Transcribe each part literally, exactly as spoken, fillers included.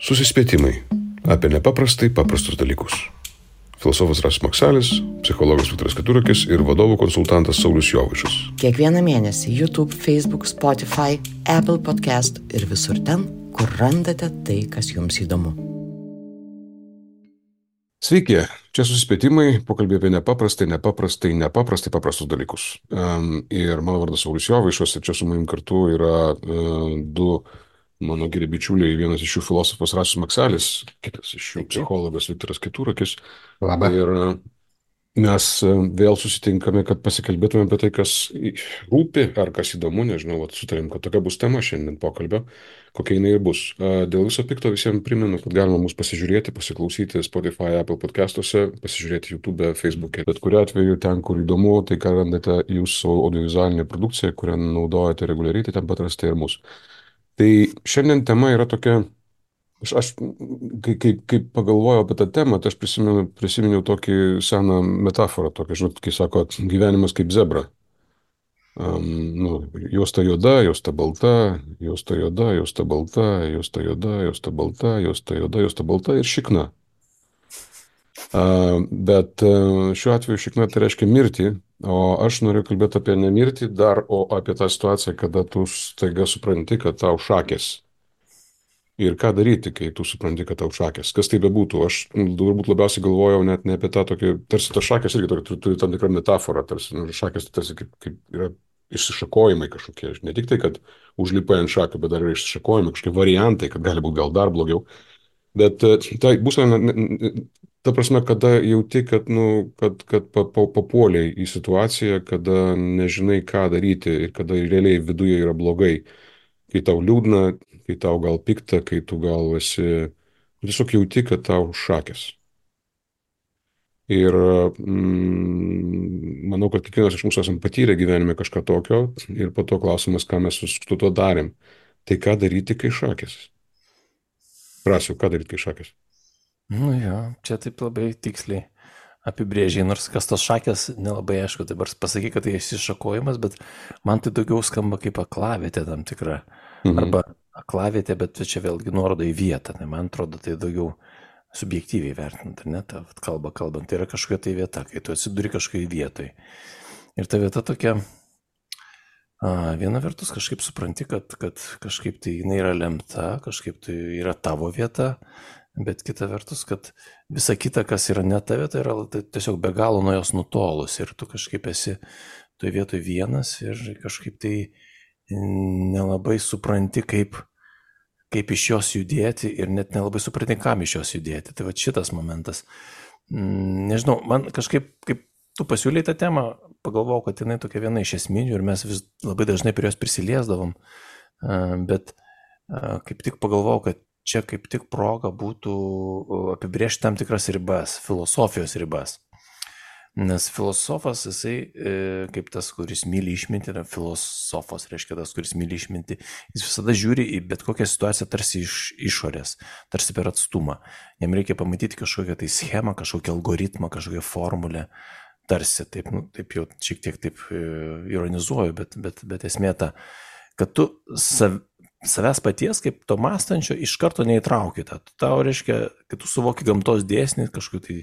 Susispėtimai apie nepaprastai paprastus dalykus. Filosofas Rasas Maksalis, psichologas Viktoras Keturakis ir vadovų konsultantas Saulius Jovaišas. Kiekvieną mėnesį YouTube, Facebook, Spotify, Apple Podcast ir visur ten, kur randate tai, kas jums įdomu. Sveiki, čia Susispėtimai, pokalbė apie nepaprastai, nepaprastai, nepaprastai paprastus dalykus. Um, ir mano vardas Saulius Jovaišas ir čia su manim kartu yra uh, du mano geri bičiuliai, vienas iš jų filosofas Rasas Maksalis, kitas iš jų psichologas Viktoras Keturakis. Labą. Ir mes vėl susitinkame, kad pasikalbėtume apie tai, kas rūpi ar kas įdomu, nežinau, vat, sutarėm, kad tokia bus tema šiandien pokalbio, kokia jinai ir bus. Dėl viso pikto visiems primenu, kad galima mus pasižiūrėti, pasiklausyti Spotify, Apple podcastuose, pasižiūrėti YouTube, Facebook'e. Bet kuriuo atveju ten, kur įdomu, tai ką randate jūsų audiovizualinė produkcija, kurią naudojate reguliariai, tai ten pat rasite ir mus. Tai šiandien tema yra tokia, aš, aš kai, kai, kai pagalvojau apie tą temą, tai aš prisimenu, prisiminiau tokį seną metaforą, tokia, žinot, kai sako, gyvenimas kaip zebra. Um, nu, juosta juoda, juosta balta, juosta juoda, juosta balta, juosta juoda, juosta balta, juosta juoda, juosta balta ir šikna. Uh, bet uh, šiuo atveju šikna tai reiškia mirtį, o aš noriu kalbėti apie ne mirtį dar, o apie tą situaciją, kada tu staiga supranti, kad tau šakės. Ir ką daryti, kai tu supranti, kad tau šakės. Kas tai bebūtų. Aš turbūt labiausiai galvojau net ne apie tą tokį, tarsi tas šakės irgi turi, turi tam tikrą metaforą, tarsi nu, šakės tai tarsi kaip, kaip yra išsišakojimai kažkokie. Ne tik tai, kad užlipai ant šakių, bet dar yra išsišakojimai, kažkokie variantai, kad gali būti gal dar blogiau. Bet tai būsena, ta prasme, kada jauti, kad, nu, kad, kad papuoliai į situaciją, kada nežinai, ką daryti ir kada realiai viduje yra blogai. Kai tau liūdna, kai tau gal pikta, kai tu gal esi, tiesiog jauti, kad tau šakės. Ir mm, manau, kad kiekvienas iš mūsų esam patyrę gyvenime kažką tokio ir po to klausimas, ką mes su to darėm. Tai ką daryti, kai šakės? Prasiu, ką daryti, kai šakės? Nu jo, čia taip labai tiksliai apibrėžiai, nors kas tos šakės nelabai aišku, dabar pasakyk, kad tai išsišakojimas, bet man tai daugiau skamba kaip aklavietė tam tikra. Mhm. Arba aklavietė, bet čia vėlgi nuoroda į vietą, tai man atrodo tai daugiau subjektyviai vertinant, ar ne, ta kalba kalbant, tai yra kažkokia tai vieta, kai tu atsiduri kažkokiai vietoj. Ir ta vieta tokia, a, viena vertus kažkaip supranti, kad, kad kažkaip tai jinai yra lemta, kažkaip tai yra tavo vieta, bet kita vertus, kad visa kita, kas yra ne ta vieta, yra tai tiesiog be galo nuo jos nutolus ir tu kažkaip esi toje vietoje vienas ir kažkaip tai nelabai supranti, kaip, kaip iš jos judėti ir net nelabai supranti, kam iš jos judėti. Tai va šitas momentas. Nežinau, man kažkaip, kaip tu pasiūlei tą temą, pagalvojau, kad jinai tokia viena iš esminių ir mes vis labai dažnai prie jos prisiliesdavom, bet kaip tik pagalvojau, kad čia kaip tik proga būtų apibrėžti tam tikras ribas, filosofijos ribas. Nes filosofas, jisai kaip tas, kuris myli išmintį, yra filosofas, reiškia tas, kuris myli išmintį, jis visada žiūri į bet kokią situaciją tarsi iš išorės, tarsi per atstumą. Jam reikia pamatyti kažkokią tai schemą, kažkokią algoritmą, kažkokią formulę, tarsi, taip, nu, taip jau šiek tiek taip ironizuoju, bet, bet, bet esmė ta, kad tu sav, savęs paties, kaip to mąstančio, iš karto neįtrauki tą. Tau reiškia, kad tu suvoki gamtos dėsnį, kažkokį tai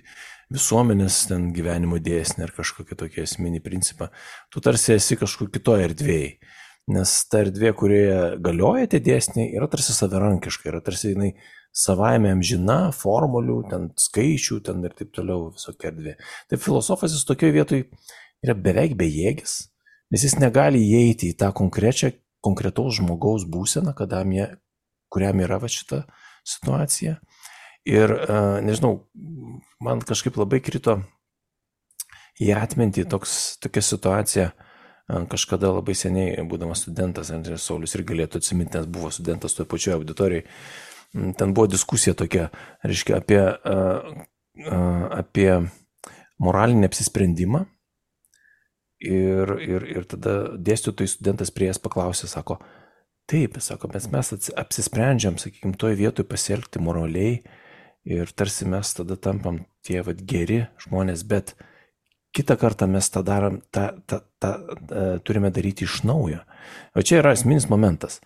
visuomenės ten gyvenimo dėsnį ar kažkokį tokį esminį principą. Tu tarsi esi kažkur kitoje erdvėje. Nes ta erdvė, kurioje galioja tie dėsniai, yra tarsi savarankiška, yra tarsi jinai savaime amžina, formulių, ten skaičių, ten ir taip toliau visokia erdvė. Tai filosofas jis tokioje vietoje yra beveik bejėgis, nes jis negali įeiti į tą konkrečią konkretaus žmogaus būseną, jie, kuriam yra va šita situacija. Ir, nežinau, man kažkaip labai krito į atmintį toks, tokia situacija, kažkada labai seniai, būdamas studentas, Andrės Saulius ir galėtų atsiminti, nes buvo studentas toje pačioje auditorijai, ten buvo diskusija tokia, reiškia, apie, apie moralinį apsisprendimą. Ir, ir, ir tada dėstytojai studentas prie jas paklausė, sako, taip, sako, mes, mes apsisprendžiam, sakykime, toje vietoje pasielgti moraliai ir tarsi mes tada tampam tie vat, geri žmonės, bet kitą kartą mes tą, darom, tą, tą, tą, tą turime daryti iš naujo. O čia yra esminis momentas.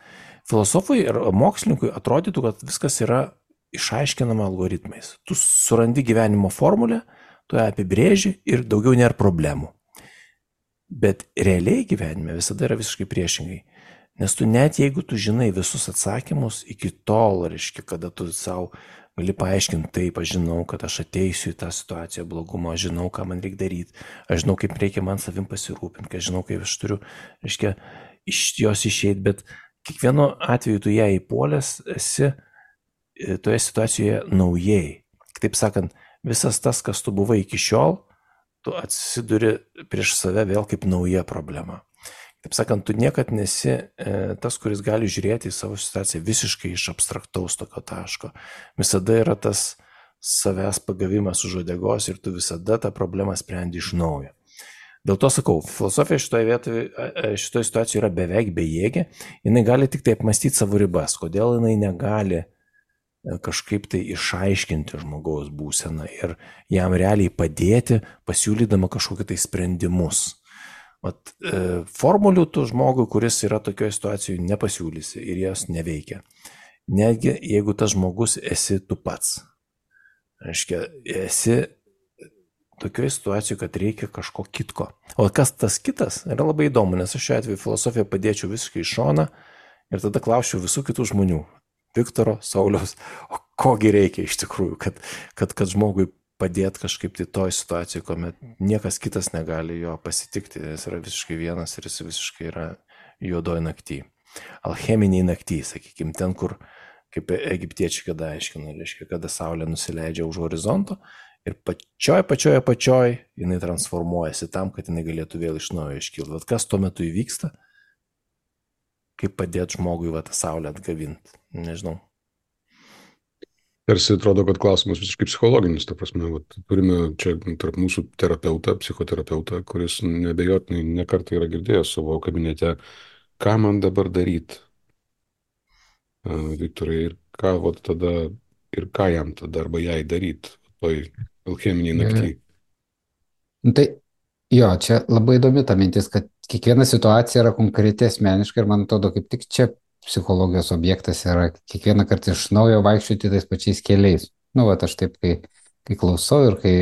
Filosofui ir mokslininkui atrodytų, kad viskas yra išaiškinama algoritmais. Tu surandi gyvenimo formulę, tu ją apibrėži ir daugiau nėra problemų. Bet realiai gyvenime visada yra visiškai priešingai. Nes tu net jeigu tu žinai visus atsakymus, iki tol, reiškia, kada tu savo gali paaiškinti, taip, aš žinau, kad aš ateisiu į tą situaciją blogumo, aš žinau, ką man reikia daryti, aš žinau, kaip reikia man savim pasirūpinti, aš žinau, kaip aš turiu, reiškia, iš jos išeiti, bet kiekvienu atveju tu ją įpuolęs esi toje situacijoje naujai. Kitaip sakant, visas tas, kas tu buvai iki šiol, tu atsiduri prieš save vėl kaip nauja problema. Taip sakant, tu niekad nesi e, tas, kuris gali žiūrėti į savo situaciją visiškai iš abstraktaus tokio taško. Visada yra tas savęs pagavimas už uodegos ir tu visada tą problemą sprendi iš naujo. Dėl to sakau, filosofija šitoje vietoje, šitoje situacijoje yra beveik bejėgė, jinai gali tik tai apmastyti savo ribas, kodėl jinai negali kažkaip tai išaiškinti žmogaus būseną ir jam realiai padėti, pasiūlydama kažkokiu tai sprendimus. Vat, e, formulių tu žmogui, kuris yra tokioje situacijoje, nepasiūlysi ir jos neveikia. Netgi jeigu tas žmogus esi tu pats. Reiškia, esi tokioje situacijoje, kad reikia kažko kitko. O kas tas kitas, yra labai įdomu, nes aš šiuo atveju filosofiją padėčiau visiškai iš šoną ir tada klausčiau visų kitų žmonių. Viktoro, Sauliaus, o kogi reikia iš tikrųjų, kad, kad, kad žmogui padėti kažkaip tai toj situacijai, kuomet niekas kitas negali jo pasitikti, jis yra visiškai vienas ir jis visiškai yra juodoj nakty. Alcheminiai nakty, sakykime, ten, kur, kaip egiptiečiai kada aiškina, reiškia, kada saulė nusileidžia už horizonto ir pačioj, pačioj, pačioj jinai transformuojasi tam, kad jinai galėtų vėl iš naujo iškilti. Vat kas tuo metu įvyksta? Kaip padėti žmogui va tą saulę atgavinti? Nežinau. Tarsi atrodo, kad klausimas visiškai psichologinis, ta prasme, vat, turime čia tarp mūsų terapeutą, psichoterapeutą, kuris nebejotinai nekartą yra girdėjęs savo kabinete, ką man dabar daryti, Viktorai, ir ką vat, tada, ir ką jam tada arba jai daryti, toj alcheminiai nakty. Tai jo, čia labai įdomi ta mintis, kad kiekviena situacija yra konkreti asmeniška ir man atrodo, kaip tik čia psichologijos objektas yra kiekvieną kartą iš naujo vaikščioti tais pačiais keliais. Nu, va, aš taip, kai, kai klausau ir kai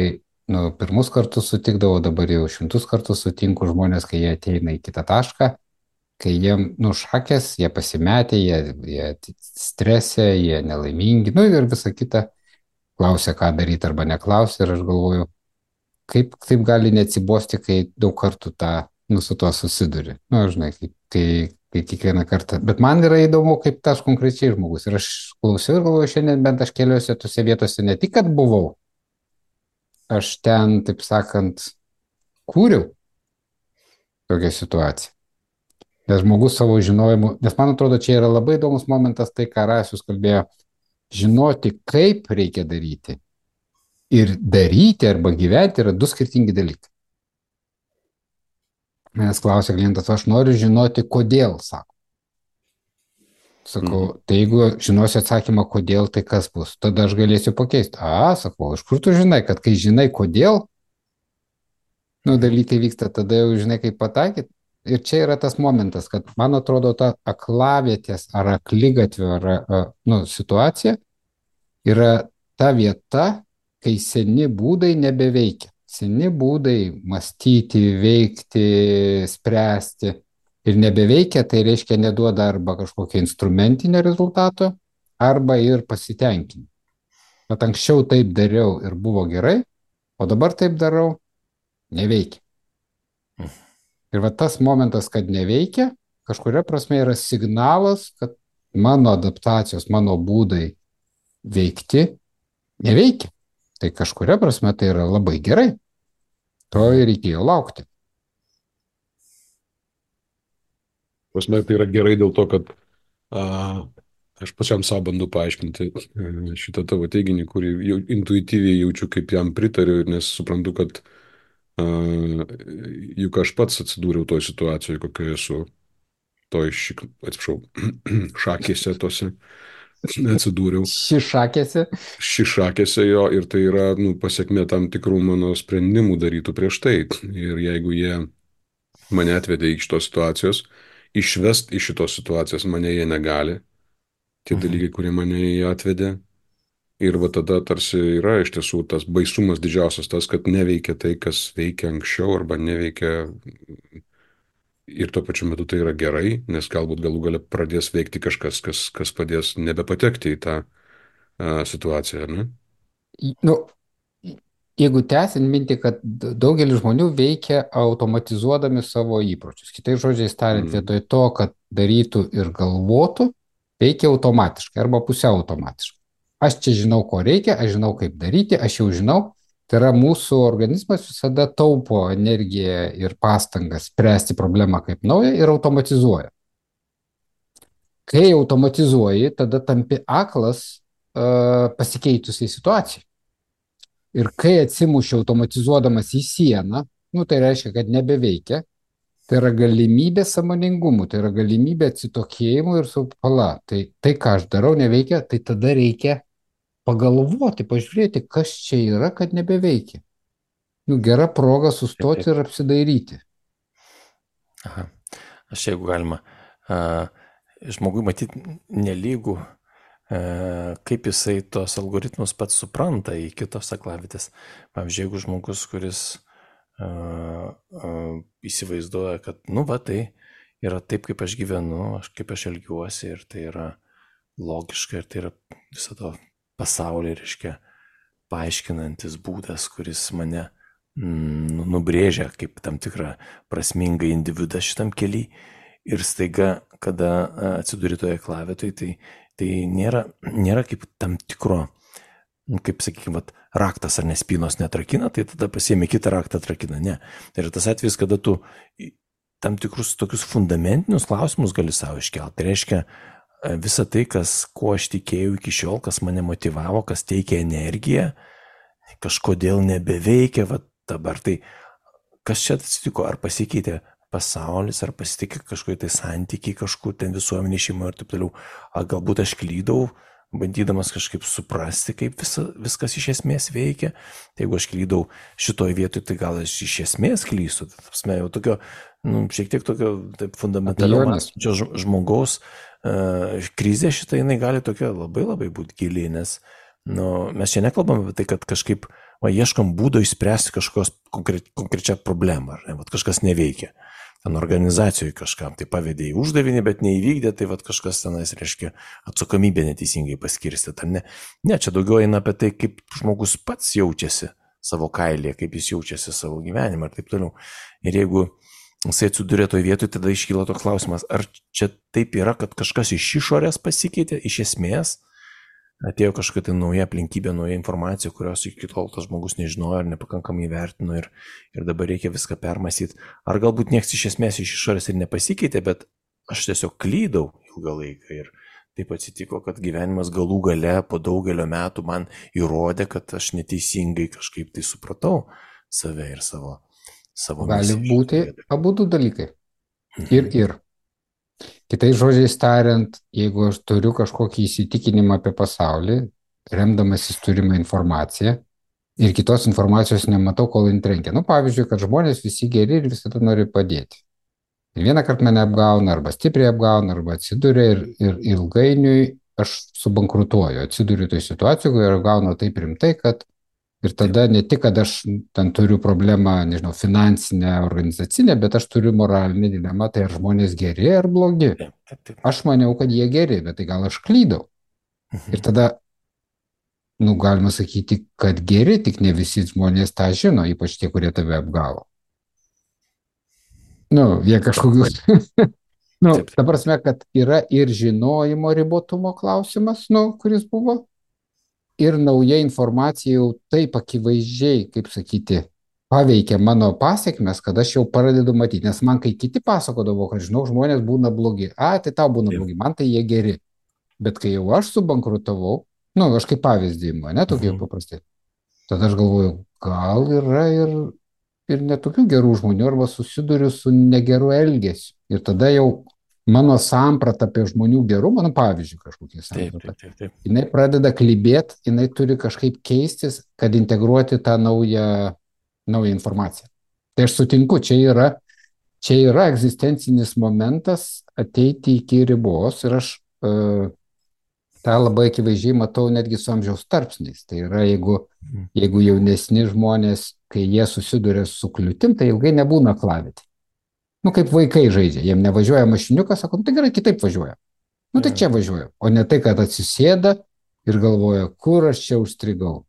nu, pirmus kartus sutikdavau, dabar jau šimtus kartus sutinku žmonės, kai jie ateina į kitą tašką, kai jiem nušakės, jie pasimetė, jie, jie stresė, jie nelaimingi, nu ir visa kita, klausia, ką daryti arba neklausia ir aš galvoju, kaip taip gali neatsibosti, kai daug kartų tą, nu, su tuo susiduri. Nu, žinai, kai, kai kai kiekvieną kartą. Bet man yra įdomu, kaip tas konkrečiai žmogus. Ir aš klausiau ir galvoju, šiandien bent aš keliuose tose vietose ne tik, kad buvau, aš ten, taip sakant, kūriau tokią situaciją. Nes žmogus savo žinojimu, nes man atrodo, čia yra labai įdomus momentas, tai ką Rasius kalbėjo, žinoti, kaip reikia daryti ir daryti arba gyventi yra du skirtingi dalykai. Manęs klausia klientas, aš noriu žinoti, kodėl, sako. Sakau, mm. tai jeigu žinosiu atsakymą, kodėl, tai kas bus? Tada aš galėsiu pakeisti. A, sakau, iš kur tu žinai, kad kai žinai, kodėl, nu, dalykai vyksta, tada jau žinai, kaip pataikyti. Ir čia yra tas momentas, kad man atrodo, ta aklavietės ar akligatvio ar, nu, situacija yra ta vieta, kai seni būdai nebeveikia. Seni būdai mąstyti, veikti, spręsti ir nebeveikia, tai reiškia neduoda arba kažkokio instrumentinio rezultato, arba ir pasitenkinimo. Bet anksčiau taip dariau ir buvo gerai, o dabar taip darau, neveikia. Ir va tas momentas, kad neveikia, kažkuria prasme yra signalas, kad mano adaptacijos, mano būdai veikti neveikia. Tai kažkuria prasme tai yra labai gerai. To ir reikėjo laukti. Prasme, tai yra gerai dėl to, kad a, aš pačiam savo bandu paaiškinti šitą tavo teiginį, kurį jau intuityviai jaučiu, kaip jam pritariu, nes suprantu, kad a, juk aš pats atsidūriau toj situacijoje, kokioje esu, toj, šik, atsiprašau, šakėse tose. Atsidūriau. Šišakėse. Šišakėse jo ir tai yra nu, pasiekmė tam tikrų mano sprendimų darytų prieš tai. Ir jeigu jie mane atvedė į šitos situacijos, išvest iš šitos situacijos mane jie negali. Tie mhm. dalykai, kurie mane jie atvedė, Ir va tada tarsi yra iš tiesų tas baisumas didžiausias tas, kad neveikia tai, kas veikia anksčiau arba neveikia ir tuo pačiu metu tai yra gerai, nes galbūt galų gale pradės veikti kažkas, kas, kas padės nebepatekti į tą a, situaciją, ar ne? į- nu, į- jeigu tęsiant mintį, kad d- daugelis žmonių veikia automatizuodami savo įpročius. Kitais žodžiais tariant, Mm. vietoj to, kad darytų ir galvotų, veikia automatiškai arba pusiau automatiškai. Aš čia žinau, ko reikia, aš žinau, kaip daryti, aš jau žinau. Tai yra mūsų organizmas visada taupo energiją ir pastangas spręsti problemą kaip naują ir automatizuoja. Kai automatizuoji, tada tampi aklas uh, pasikeitusiai situacijai. Ir kai atsimuši automatizuodamas į sieną, nu, tai reiškia, kad nebeveikia, tai yra galimybė sąmoningumų, tai yra galimybė atsitokėjimų ir supala. Tai, tai, ką aš darau, neveikia, tai tada reikia pagalvoti, pažiūrėti, kas čia yra, kad nebeveikia. Nu, gera proga sustoti ir apsidairyti. Aha. Aš jeigu galima, a, žmogui matyti nelygų, a, kaip jisai tos algoritmus pats supranta į kitos aklavitės. Pavyzdžiui, jeigu žmogus, kuris a, a, įsivaizduoja, kad, nu, va, tai yra taip, kaip aš gyvenu, aš, kaip aš elgiuosi ir tai yra logiška ir tai yra viso to pasaulį, reiškia, paaiškinantis būdas, kuris mane mm, nubrėžia kaip tam tikrą prasmingą individą šitam keliui. Ir staiga, kada atsiduri toje klavietoje, tai, tai nėra, nėra kaip tam tikro, kaip sakykime, raktas ar nespynos netrakina, tai tada pasiemi kitą raktą atrakina. Ne. Tai yra tas atvejis, kada tu tam tikrus tokius fundamentinius klausimus gali savo iškelti. Tai reiškia, visa tai, kas, kuo aš tikėjau iki šiol, kas mane motivavo, kas teikia energiją, kažkodėl nebeveikia, va dabar tai, kas čia atsitiko, ar pasikeitė pasaulis, ar pasitikė kažkokie tai santykiai, kažkur ten visuomenė šeima ir taip toliau, ar galbūt aš klydau, bandydamas kažkaip suprasti, kaip visa, viskas iš esmės veikia. Tai jeigu aš klydau šitoj vietoj, tai gal aš iš esmės klystu. Tai jau tokio, nu, šiek tiek tokio taip fundamentaliau mąstančio žmogaus uh, krizė šitą, jinai gali tokia labai labai būti gili, nes nu, mes čia nekalbam apie tai, kad kažkaip va, ieškam būdo išspręsti kažkokios konkre, konkrečią problemą, ar ne, va, kažkas neveikia. Ten organizacijoje kažkam tai pavedė į uždavinį, bet neįvykdė, tai vat kažkas tenais, reiškia, atsakomybė neteisingai paskirstė. Ne, ne, čia daugiau eina apie tai, kaip žmogus pats jaučiasi savo kailėje, kaip jis jaučiasi savo gyvenimą ir taip toliau. Ir jeigu jisai atsidūrė toje vietoje, tada iškyla toks klausimas, ar čia taip yra, kad kažkas iš išorės pasikeitė, iš esmės, atėjo kažkokia tai nauja aplinkybė, nauja informacija, kurios iki tol tas žmogus nežinojo ar nepakankamai vertino ir, ir dabar reikia viską permąstyti. Ar galbūt nieks iš esmės iš išorės ir nepasikeitė, bet aš tiesiog klydau ilgą laiką ir taip atsitiko, kad gyvenimas galų gale po daugelio metų man įrodė, kad aš neteisingai kažkaip tai supratau save ir savo, savo Gali misiją. būti abudu dalykai. Ir ir. Kitais žodžiais tariant, jeigu aš turiu kažkokį įsitikinimą apie pasaulį, remdamasis turimą informaciją ir kitos informacijos nematau, kol jin trenkia. Nu, pavyzdžiui, kad žmonės visi geri ir visada nori padėti. Ir vieną kartą mane apgauna, arba stipriai apgauna, arba atsiduria ir, ir ilgainiui aš subankrutuoju. Atsiduriu toj situacijoje, kur apgauna taip rimtai, kad ir tada ne tik, kad aš ten turiu problemą, nežinau, finansinę, organizacinę, bet aš turiu moralinę dilemą, tai ar žmonės geri ar blogi. Aš maniau, kad jie geri, bet tai gal aš klydau. Ir tada, nu, galima sakyti, kad geri, tik ne visi žmonės tą žino, ypač tie, kurie tave apgavo. Nu, jie kažkokius. Nu, ta prasme, kad yra ir žinojimo ribotumo klausimas, nu, kuris buvo. Ir nauja informacija jau taip akivaizdžiai, kaip sakyti, paveikia mano pasiekmes, kad aš jau pradedu matyti. Nes man, kai kiti pasakodavo, kad žinau, žmonės būna blogi. A, tai tau būna blogi, man tai jie geri. Bet kai jau aš subankrutavau, nu, aš kaip pavyzdį imu, ne, tokie mhm. paprastai. Tada aš galvoju, gal yra ir, ir netokių gerų žmonių, arba susiduriu su negeru elgesiu. Ir tada jau mano samprata apie žmonių gerumą, nu, pavyzdžiui, kažkokie samprata, taip, taip, taip. Jinai pradeda klibėti, jinai turi kažkaip keistis, kad integruoti tą naują, naują informaciją. Tai aš sutinku, čia yra, čia yra egzistencinis momentas ateiti iki ribos ir aš, uh, tą labai akivaizdžiai matau netgi su amžiaus tarpsniais. Tai yra, jeigu, jeigu jaunesni žmonės, kai jie susiduria su kliūtim, tai ilgai nebūna aklavietėj. Nu, kaip vaikai žaidžia, jiem nevažiuoja mašiniukas, sako, nu, tai gerai, kitaip važiuoja. Nu, tai čia važiuoja. O ne tai, kad atsisėda ir galvoja, kur aš čia užstrigau.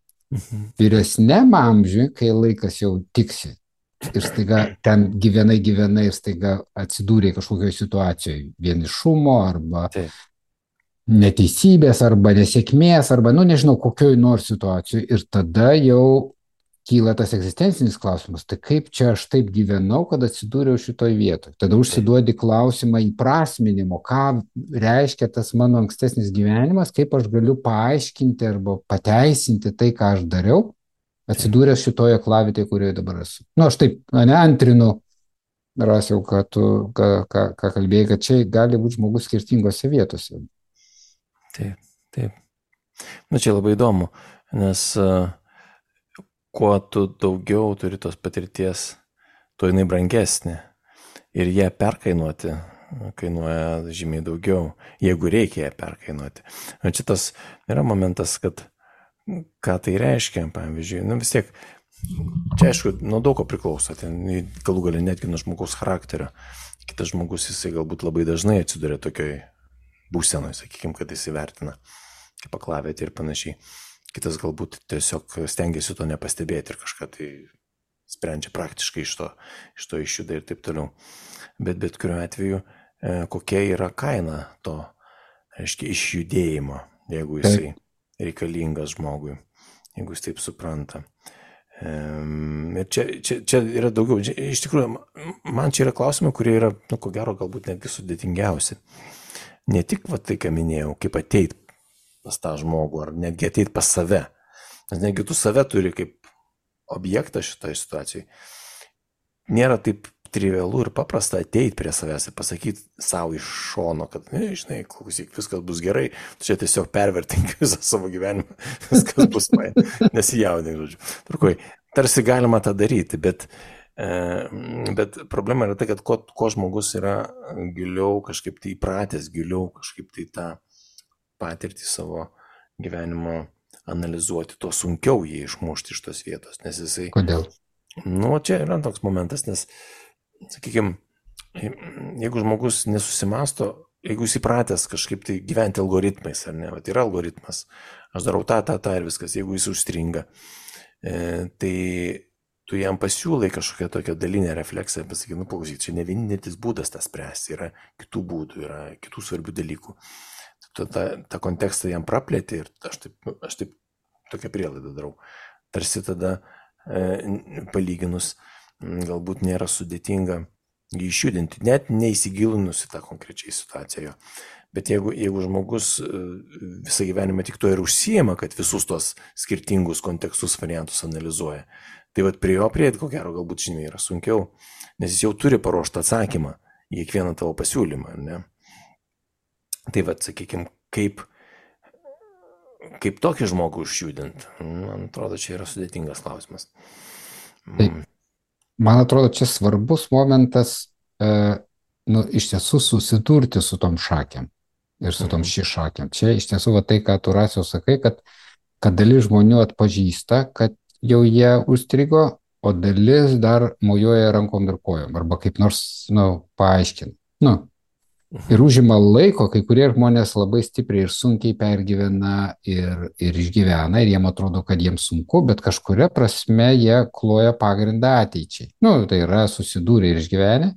Vyresniam amžiui, kai laikas jau tiksi, ir staiga ten gyvenai, gyvenai ir staiga atsidūrė kažkokioje situacijoje vienišumo arba Taip. neteisybės arba nesėkmės arba, nu, nežinau, kokioj nors situacijoje. Ir tada jau kyla tas egzistencinis klausimas, tai kaip čia aš taip gyvenau, kad atsidūriau šitoj vietoj. Tada užsiduodi klausimą įprasminimo, ką reiškia tas mano ankstesnis gyvenimas, kaip aš galiu paaiškinti arba pateisinti tai, ką aš dariau, atsidūręs šitoje aklavietėje, kurioje dabar esu. Nu, aš taip, ne, antrinu, Rasiau, ką tu, ką, ką, ką kalbėjai, kad čia gali būti žmogus skirtingose vietose. Taip, taip. Na, čia labai įdomu, nes uh, kuo tu daugiau turi tos patirties, tuo jinai brangesnė. Ir ją perkainuoti kainuoja žymiai daugiau, jeigu reikia ją perkainuoti. O čia tas yra momentas, kad ką tai reiškia, pavyzdžiui, nu vis tiek, čia aišku, nuo daug ko priklauso, ten galų galia netgi nuo žmogaus charakterio. Kitas žmogus, jisai galbūt labai dažnai atsiduria tokioj būsenoj, sakykime, kad jis įvertina kaip aklavietė ir panašiai. Kitas galbūt tiesiog stengiasi to nepastebėti ir kažką tai sprendžia praktiškai iš to, iš to išjuda ir taip toliau. Bet bet kuriuo atveju, e, kokia yra kaina to, reiškia, išjudėjimo, jeigu jisai reikalingas žmogui, jeigu jis taip supranta. E, ir čia, čia, čia yra daugiau, iš tikrųjų, man čia yra klausimai, kurie yra, nu, ko gero, galbūt netgi sudėtingiausi. Ne tik va tai, ką minėjau, kaip ateit pas tą žmogų, ar netgi ateit pas save. Nes netgi tu save turi kaip objektą šitoje situacijoje. Nėra taip trivialu ir paprasta ateit prie savęs ir pasakyti savo iš šono, kad, ne, žinai, klausyk, viskas bus gerai, tu čia tiesiog pervertink visą savo gyvenimą, viskas bus man, nesijaudink, žodžiu. Turkoj, tarsi galima tą daryti, bet, e, bet problema yra tai, kad ko, ko žmogus yra giliau kažkaip tai įpratęs, giliau kažkaip tai tą patirtį savo gyvenimo analizuoti, to sunkiau jį išmušti iš tos vietos, nes jisai... Kodėl? Nu, čia yra toks momentas, nes, sakykime, jeigu žmogus nesusimasto, jeigu jis įpratęs kažkaip tai gyventi algoritmais, ar ne, vat yra algoritmas, aš darau tą, tą, tą ir viskas, jeigu jis užstringa, e, tai tu jam pasiūlai kažkokią tokią dalinę refleksiją, pasakai, nu, paklausyk, čia ne vienintelis būdas tą spręsti, yra kitų būdų, yra kitų svarbių dalykų. Tu tą, tą kontekstą jam praplėti ir aš taip, aš taip tokią prielaidą darau. Tarsi tada e, palyginus galbūt nėra sudėtinga jį išjudinti, net neįsigilinus į tą konkrečiai situaciją. Bet jeigu, jeigu žmogus visą gyvenimą tik to ir užsijema, kad visus tos skirtingus kontekstus, variantus analizuoja, tai vat prie jo prieiti, ko gero, galbūt žymiai yra sunkiau, nes jis jau turi paruoštą atsakymą į kiekvieną tavo pasiūlymą, ne? Tai vat, sakykime, kaip, kaip tokį žmogų išjudinti, man atrodo, čia yra sudėtingas klausimas. Taip. Man atrodo, čia svarbus momentas, e, nu, iš tiesų susidurti su tom šakėm ir su tom ši šakėm. Čia iš tiesų va tai, ką tu Rasiau sakai, kad, kad dalis žmonių atpažįsta, kad jau jie užstrigo, o dalis dar mojuoja rankom ir kojom arba kaip nors, nu, paaiškina. Nu, ir užima laiko, kai kurie žmonės labai stipriai ir sunkiai pergyvena ir, ir išgyvena, ir jiem atrodo, kad jiems sunku, bet kažkuria prasme jie kloja pagrindą ateičiai. Nu, tai yra susidūrę ir išgyvenę,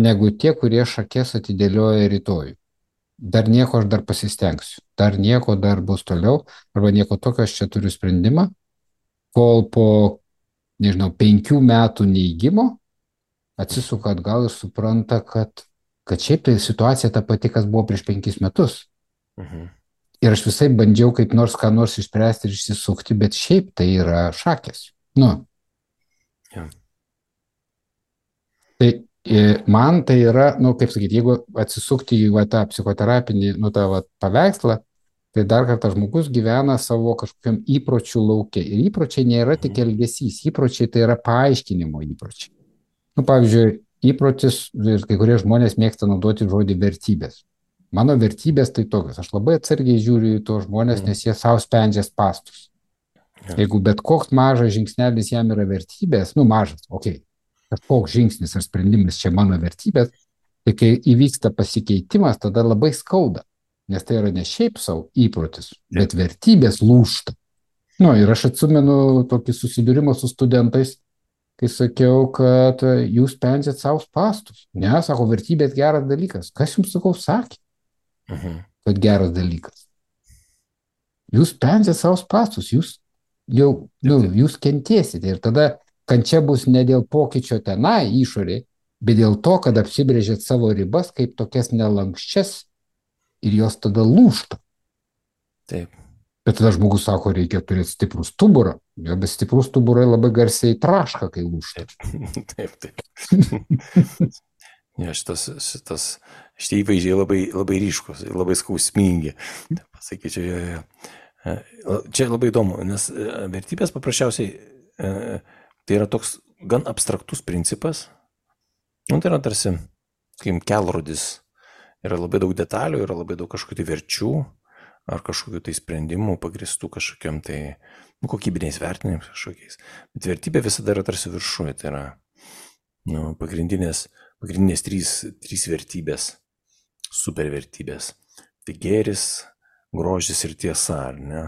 negu tie, kurie šakės atidėlioja rytojų. Dar nieko aš dar pasistengsiu, dar nieko dar bus toliau, arba nieko tokio aš čia turiu sprendimą, kol po, nežinau, penkių metų neigimo atsisuka atgal ir supranta, kad kad šiaip tai situacija ta pati, kas buvo prieš penkis metus. Mhm. Ir aš visai bandžiau kaip nors ką nors išspręsti ir išsisukti, bet šiaip tai yra šakės. Nu. Ja. Tai man tai yra, nu, kaip sakyti, jeigu atsisukti į va, tą psichoterapinį, nu, tą va, paveikslą, tai dar kartą žmogus gyvena savo kažkokiam įpročių lauke. Ir įpročiai nėra tik elgesys, įpročiai tai yra paaiškinimo įpročiai. Nu, pavyzdžiui, įprotis, ir kai kurie žmonės mėgsta naudoti žodį vertybės. Mano vertybės tai tokios. Aš labai atsargiai žiūriu į tos žmonės, nes jie savo sprendžia spastus. Ja. Jeigu bet koks mažas žingsnelis jam yra vertybės, nu mažas, okei, okay, kažkoks žingsnis ar sprendimas čia mano vertybės, tai kai įvyksta pasikeitimas, tada labai skauda, nes tai yra ne šiaip savo įprotis, bet vertybės lūžta. Nu, ir aš atsimenu tokį susidūrimą su studentais, kai sakiau, kad jūs sprendžiat savo spastus. Ne, sako, vertybės geras dalykas. Kas jums, sakau, sakė, Mhm. kad geras dalykas? Jūs sprendžiat savo spastus, jūs jau, nu, jūs kentėsite. Ir tada kančia bus ne dėl pokyčio tenai išorėje, bet dėl to, kad apsibrėžėt savo ribas kaip tokias nelankščias ir jos tada lūžta. Taip. Bet tada žmogus sako, reikia turėti stiprų stuburą. Jo, bet stiprus stuburai labai garsiai traška, kai lūžta. Taip, taip. Ja, šitas, šitas, šitie įvaizdžiai labai, labai ryškus, labai skausmingi. Taip, pasakyčiau, jo, jo. Čia labai įdomu, nes vertybės paprasčiausiai tai yra toks gan abstraktus principas. Nu, tai yra tarsi, kaip kelrodis. Yra labai daug detalių, yra labai daug kažkokių tai verčių ar kažkokių tai sprendimų pagristų kažkokiam tai nu, kokybiniais vertinimais kažkokiais. Bet vertybė visada yra tarsi viršuje, tai yra nu, pagrindinės, pagrindinės trys, trys vertybės, supervertybės. Tai gėris, grožis ir tiesa, ar ne,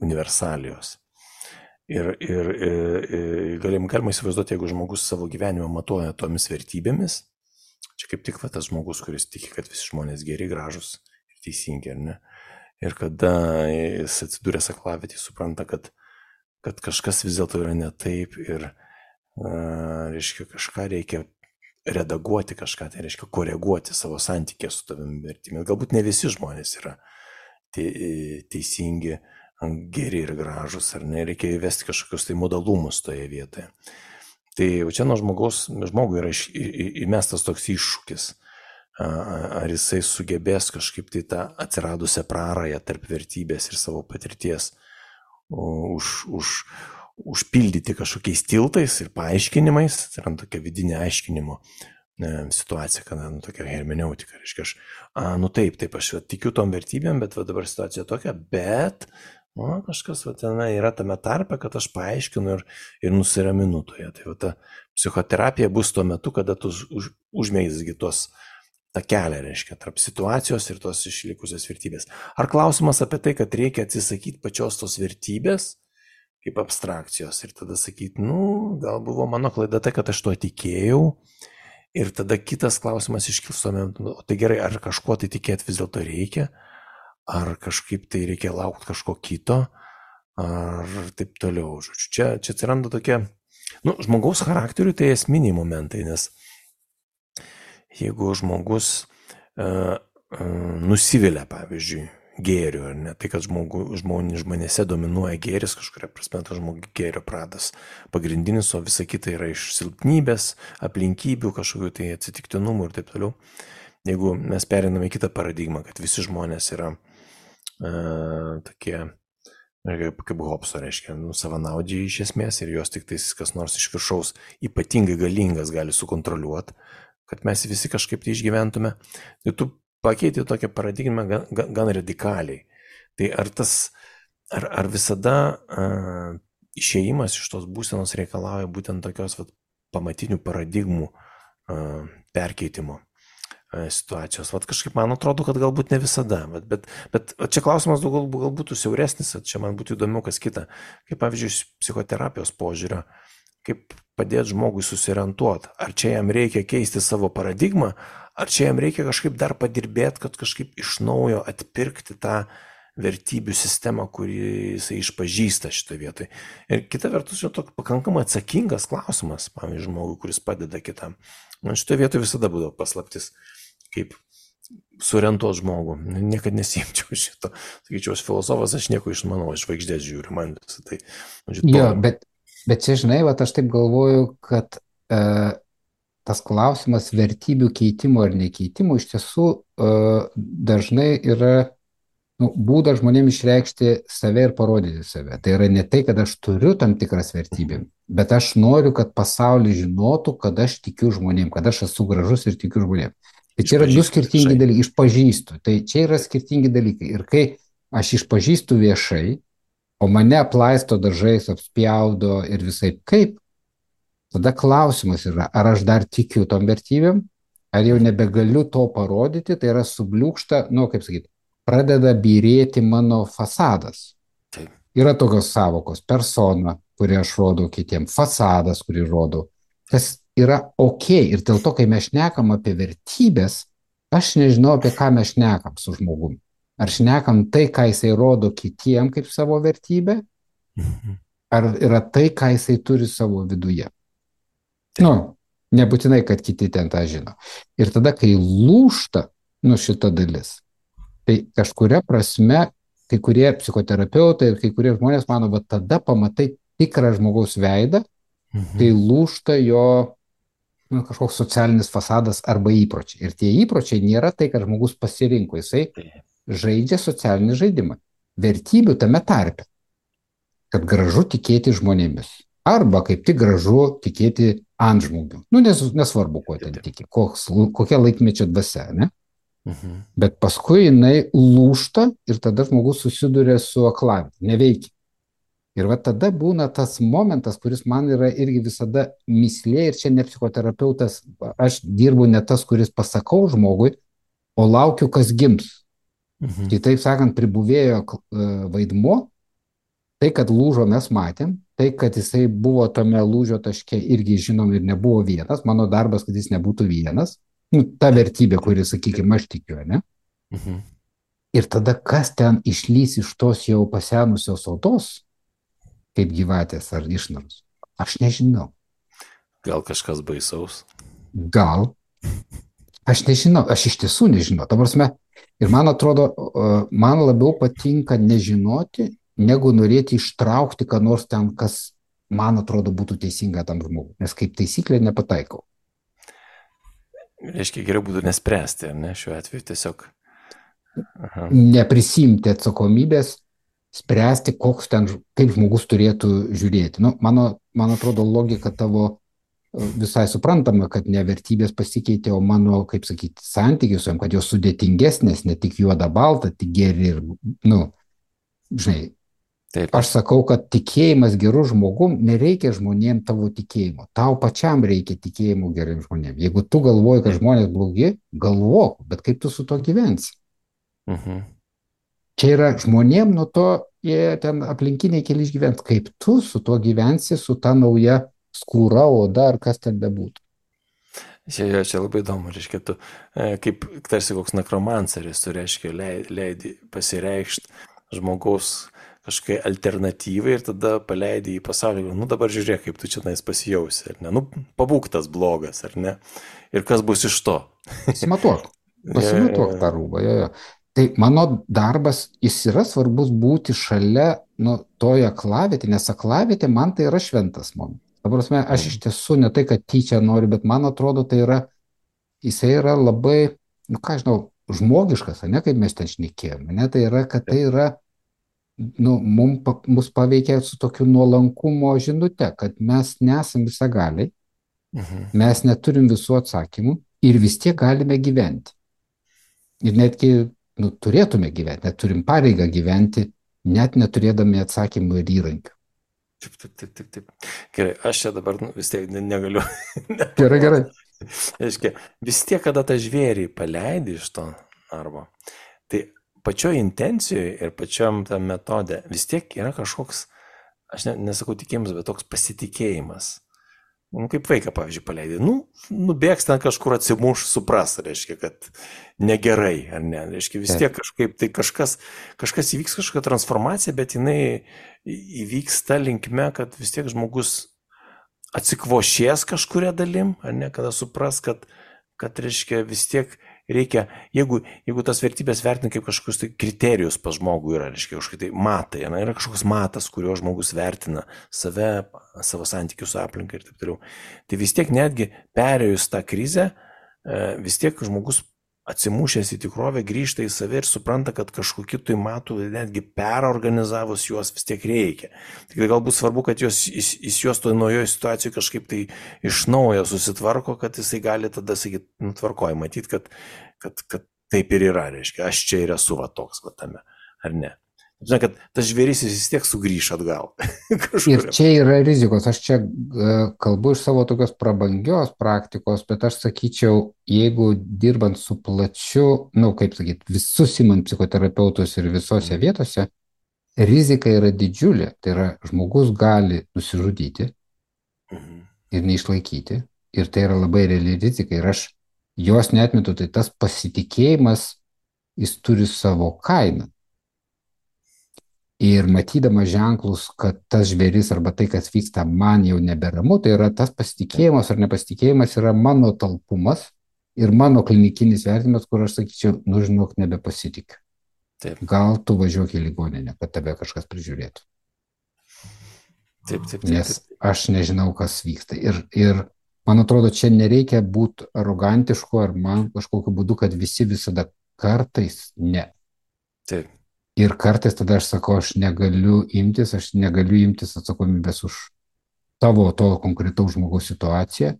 universalijos. Ir, ir, ir, ir galim, galima įsivaizduoti, jeigu žmogus savo gyvenimą matuoja tomis vertybėmis, čia kaip tik va, tas žmogus, kuris tiki, kad visi žmonės geri, gražus ir teisingi, ar ne? Ir kada jis atsidūręs aklavietėje, supranta, kad, kad kažkas vis dėlto yra ne taip ir a, reiškia, kažką reikia redaguoti, kažką tai reiškia koreguoti savo santykį su tavimi vertybėmis. Galbūt ne visi žmonės yra te, teisingi, geri ir gražus, ar ne, reikia įvesti kažkokius tai modalumus toje vietoje. Tai čia nuo žmogaus, žmogui yra įmestas toks iššūkis. Ar jisai sugebės kažkaip tai tą atsiradusią prarają tarp vertybės ir savo patirties už, už, užpildyti kažkokiais tiltais ir paaiškinimais, tai yra tokia vidinė aiškinimo situacija, kada nu, tokia hermeneutika, reiškia, aš, a, nu taip, taip, aš tikiu tom vertybėm, bet va, dabar situacija tokia, bet nu, kažkas va, tenai yra tame tarpe, kad aš paaiškinu ir, ir nusiraminu toje. Tai va, ta psichoterapija bus tuo metu, kada tu už, užmeisgi tos tą kelią, reiškia, tarp situacijos ir tos išlikusios vertybės. Ar klausimas apie tai, kad reikia atsisakyti pačios tos vertybės kaip abstrakcijos ir tada sakyti, nu, gal buvo mano klaida tai, kad aš to tikėjau ir tada kitas klausimas iškils tuomet, o tai gerai, ar kažkuo tai tikėti vis dėlto reikia, ar kažkaip tai reikia laukti kažko kito, ar taip toliau. Žodžiu, čia, čia atsiranda tokie, nu, žmogaus charakteriui tai esminiai momentai, nes jeigu žmogus uh, uh, nusivilia, pavyzdžiui, gėriu, ar ne, tai kad žmogu, žmonės, žmonėse dominuoja gėris, kažkuria prasme, tas žmogus gėrio pradas pagrindinis, o visa kita yra iš silpnybės, aplinkybių, kažkokių tai atsitiktinumų ir taip toliau. Jeigu mes periname į kitą paradigmą, kad visi žmonės yra uh, tokie, kaip, kaip Hobso, reiškia, nu, savanaudžiai iš esmės ir jos tik tais kas nors iš viršaus ypatingai galingas gali sukontroliuoti, kad mes visi kažkaip tai išgyventume, tai tu pakeiti tokią paradigmą gan, gan, gan radikaliai. Tai ar tas, ar, ar visada uh, išėjimas iš tos būsenos reikalauja būtent tokios vat, pamatinių paradigmų uh, perkeitimo uh, situacijos. Vat kažkaip man atrodo, kad galbūt ne visada, bet, bet, bet čia klausimas gal, gal būtų siauresnis, čia man būtų įdomiau kas kita, kaip pavyzdžiui psichoterapijos požiūrio, kaip padėti žmogui susiorientuoti, ar čia jam reikia keisti savo paradigmą, ar čia jam reikia kažkaip dar padirbėti, kad kažkaip iš naujo atpirkti tą vertybių sistemą, kurį jisai išpažįsta šitoje vietoje. Ir kita vertus, čia toks pakankamai atsakingas klausimas, pavyzdžiui, žmogui, kuris padeda kitam. Man šitoje vietoje visada būdavo paslaptis, kaip suorientuoti žmogų. Niekad nesiimčiau šito. Sakyčiau, aš filosofas, aš nieko išmanau, aš žvaigždės žiūriu, man visą tai. Jo, bet Bet čia, žinai, vat, aš taip galvoju, kad e, tas klausimas vertybių keitimo ar nekeitimo iš tiesų e, dažnai yra nu, būdas žmonėms išreikšti save ir parodyti save. Tai yra ne tai, kad aš turiu tam tikras vertybėm, bet aš noriu, kad pasaulis žinotų, kad aš tikiu žmonėm, kad aš esu gražus ir tikiu žmonėm. Tai čia yra du skirtingi dalykai, išpažįstu, tai čia yra skirtingi dalykai. Ir kai aš išpažįstu viešai, o mane aplaisto dažais, apspjaudo ir visai kaip, tada klausimas yra, ar aš dar tikiu tom vertybėm, ar jau nebegaliu to parodyti, tai yra subliūkšta, nu, kaip sakyti, pradeda byrėti mano fasadas. Taip. Yra tokios savokos, persona, kurį aš rodau kitiems, fasadas, kurį rodau. Tas yra ok. Ir dėl to, kai mes šnekam apie vertybės, aš nežinau, apie ką mes šnekam su žmogumi. Ar šnekam tai, ką jisai rodo kitiem kaip savo vertybę, ar yra tai, ką jisai turi savo viduje. Nu, nebūtinai, kad kiti ten tą žino. Ir tada, kai lūžta, nu, šita dalis, tai kažkuria prasme, kai kurie psichoterapeutai ir kai kurie žmonės mano, va tada pamatai tikrą žmogaus veidą, Mhm. kai lūžta jo nu, kažkoks socialinis fasadas arba įpročiai. Ir tie įpročiai nėra tai, kad žmogus pasirinko, jisai žaidžia socialinį žaidimą. Vertybių tame tarpe, kad gražu tikėti žmonėmis. Arba kaip tik gražu tikėti antžmogiu. Nu, nes, nesvarbu, kuo ten tiki, koks, kokia laikmečio dvasia, ne? Mhm. Bet paskui jinai lūžta ir tada žmogus susiduria su aklaviete, neveikia. Ir va tada būna tas momentas, kuris man yra irgi visada mislė, ir čia ne psichoterapeutas, aš dirbu ne tas, kuris pasakau žmogui, o laukiu, kas gims. Mhm. Kitaip sakant, pribuvėjo vaidmuo, tai, kad lūžo mes matėm, tai, kad jisai buvo tame lūžio taške irgi žinom ir nebuvo vienas, mano darbas, kad jis nebūtų vienas, nu, ta vertybė, kuri, sakykime, aš tikiu, ne? Mhm. Ir tada kas ten išlys iš tos jau pasenusios odos, kaip gyvatės ar išnaros, aš nežinau. Gal kažkas baisaus? Gal. Aš nežinau, aš iš tiesų nežinau. Ta prasme, ir man atrodo, man labiau patinka nežinoti, negu norėti ištraukti, ką nors ten, kas man atrodo būtų teisinga tam žmogui. Nes kaip taisyklė nepataikau. Reiškia, geriau būtų nespręsti, ar ne, šiuo atveju tiesiog. Aha. Neprisimti atsakomybės, spręsti, koks ten, kaip žmogus turėtų žiūrėti. Nu, mano, man atrodo, logika tavo visai suprantama, kad ne vertybės pasikeitė, o mano, kaip sakyti, santykius, kad jos sudėtingesnės, ne tik juoda balta, tik geri ir, nu, žinai, Taip. aš sakau, kad tikėjimas gerų žmogum, nereikia žmonėm tavo tikėjimo. Tau pačiam reikia tikėjimo geriem žmonėm. Jeigu tu galvoji, kad žmonės blogi, galvok, bet kaip tu su to gyvensi? Mhm. Čia yra žmonėm, nuo to jie ten aplinkiniai keli išgyvens. Kaip tu su to gyvensi, su ta nauja skūra, oda ar kas ten bebūtų. Čia, čia labai įdomu, reiškia, tu kaip tarsi koks nekromanceris, tu reiškia leidi pasireikšti žmogaus kažkokiai alternatyvai ir tada paleidi į pasaulį, nu dabar žiūrėk, kaip tu čia nais pasijausi, ar ne, nu pabūk tas blogas, ar ne, ir kas bus iš to. Pasimatuok, pasimatuok tą rūbą, jo, jo. Tai mano darbas, jis yra svarbus būti šalia, nu, toje aklavietė, nes aklavietė man tai yra šventas momentas. Ta prasme, aš iš tiesų ne tai, kad tyčia noriu, bet man atrodo, tai yra, jisai yra labai, nu ką žinau, žmogiškas, ne, kaip mes ten šnekėjome, ne, tai yra, kad tai yra, nu, mum, mus paveikia su tokiu nuolankumo žinute, kad mes nesam visagaliai, Mhm. mes neturim visų atsakymų ir vis tiek galime gyventi. Ir netgi, nu, turėtume gyventi, net turim pareigą gyventi, net neturėdami atsakymų ir įrankių. Taip, taip, taip, taip, taip. Gerai, aš čia dabar nu, vis tiek ne- negaliu. Gerai, gerai. Reiškia, vis tiek, kada tą žvėrį paleidi iš to arba, tai pačioj intencijoje ir pačiam tam metode vis tiek yra kažkoks, aš ne, nesakau tikėjimas, bet toks pasitikėjimas. Nu, kaip vaiką, pavyzdžiui, paleidai. Nu, nubėgs ten kažkur atsimuš, supras, reiškia, kad negerai, ar ne. Reiškia, vis tiek kažkaip, tai kažkas, kažkas įvyks, kažkokia transformacija, bet jinai įvyks ta linkme, kad vis tiek žmogus atsikvošės kažkuria dalim, ar ne, kada supras, kad, kad reiškia, vis tiek reikia, jeigu, jeigu tas vertybės vertina kaip kažkokius tai kriterijus pas žmogų yra, reiškia, kažkokie tai matai, na, yra kažkoks matas, kurio žmogus vertina save, savo santykius su aplinka ir taip toliau. Tai vis tiek netgi perėjus tą krizę, vis tiek žmogus atsimušęs į tikrovę, grįžta į save ir supranta, kad kažkokiu tai matu netgi perorganizavus juos vis tiek reikia. Tik galbūt svarbu, kad jos, jis, jis juos toje naujoje situacijoje kažkaip tai iš naujo susitvarko, kad jisai gali tada sakyti, nutvarkoja, matyti, kad, kad, kad taip ir yra, reiškia, aš čia ir esu va toks va tame, ar ne. Žinai, kad tas žvėris vis tiek sugrįš atgal. Ir čia yra rizikos. Aš čia uh, kalbu iš savo tokios prabangios praktikos, bet aš sakyčiau, jeigu dirbant su plačiu, nu, kaip sakyti, visus imant psichoterapeutus ir visose vietose, rizika yra didžiulė. Tai yra, žmogus gali nusižudyti ir neišlaikyti. Ir tai yra labai reali rizika. Ir aš jos neatmetu, tai tas pasitikėjimas, jis turi savo kainą. Ir matydama ženklus, kad tas žvėris arba tai, kas vyksta, man jau neberamu, tai yra tas pasitikėjimas ar nepasitikėjimas yra mano talpumas ir mano klinikinis vertinimas, kur aš sakyčiau, nu žinok, nebepasitikiu. Taip. Gal tu važiuok į ligoninę, kad tave kažkas prižiūrėtų. Taip, taip, taip, Nes aš nežinau, kas vyksta. Ir, ir man atrodo, čia nereikia būti arogantišku ar man kažkokiu būdu, kad visi visada kartais ne. Taip. Ir kartais tada aš sakau, aš negaliu imtis, aš negaliu imtis atsakomybės už tavo to konkretaus žmogaus situaciją,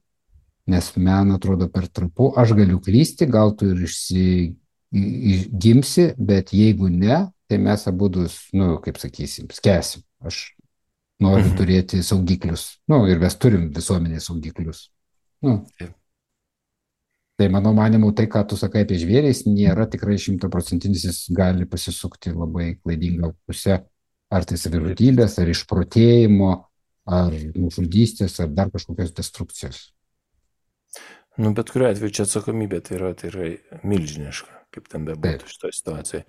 nes man atrodo per trapu, aš galiu klysti, gal tu ir išsigimsi, bet jeigu ne, tai mes abudu, nu, kaip sakysim, skęsim. Aš noriu mhm. turėti saugiklius, nu, ir mes turim visuomenės saugiklius. Nu. Tai mano manimu, tai, ką tu sakai apie žvėrės, nėra tikrai šimtaprocentinis, jis gali pasisukti labai klaidingą pusę, ar tai savižudybės, ar išprotėjimo, ar nužudystės, ar dar kažkokios destrukcijos. Nu, bet kuriuo atveju čia atsakomybė tai yra, tai yra milžiniška, kaip ten bebūtų šitoje situacijoje.